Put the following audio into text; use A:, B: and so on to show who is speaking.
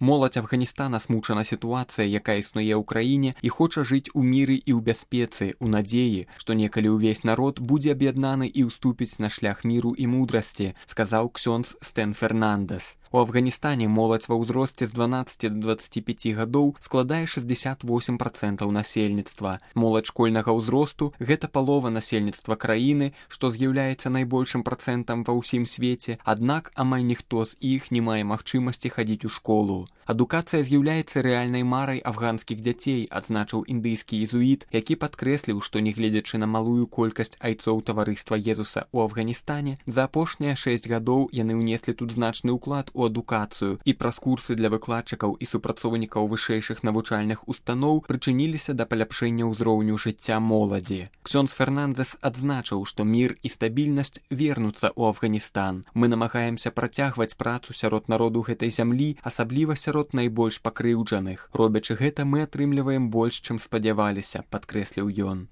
A: Моладзь Афганістана смучана сітуацыя, якая існуе ў краіне і хоча жыць у міры і ў бяспецы, у надзеі, што некалі ўвесь народ будзе аб'яднаны і ўступіць на шлях міру і мудрасці, сказаў ксёндз Стэн Фернандэс. У Афганістане моладзь ва ўзросце з 12 до 25 гадоў складае 68% насельніцтва. Моладзь школьнага ўзросту – гэта палова насельніцтва краіны, што з'яўляецца найбольшым працэнтам ва ўсім свеце, аднак амаль ніхто з іх не мае магчымасці хадзіць у школу. Адукацыя з'яўляецца рэальнай марай афганскіх дзяцей, адзначыў індыйскі езуіт, які падкрэсліў, што нягледзячы на малую колькасць айцоў таварыства Езуса ў Афганістане, за апошнія 6 гадоў яны ўнеслі тут значны ўклад у адукацыю і праз курсы для выкладчыкаў і супрацоўнікаў вышэйшых навучальных устаноў прычыніліся да паляпшэння ўзроўню жыцця моладзі. Ксёндз Фернандэс адзначыў, што мір і стабільнасць вернуцца ў Афганістан. Мы намагаемся працягваць працу сярод народу гэтай зямлі, асабліва сярод найбольш пакрыўджаных. Робячы гэта, мы атрымліваем больш, чым спадзяваліся, падкрэсліў ён.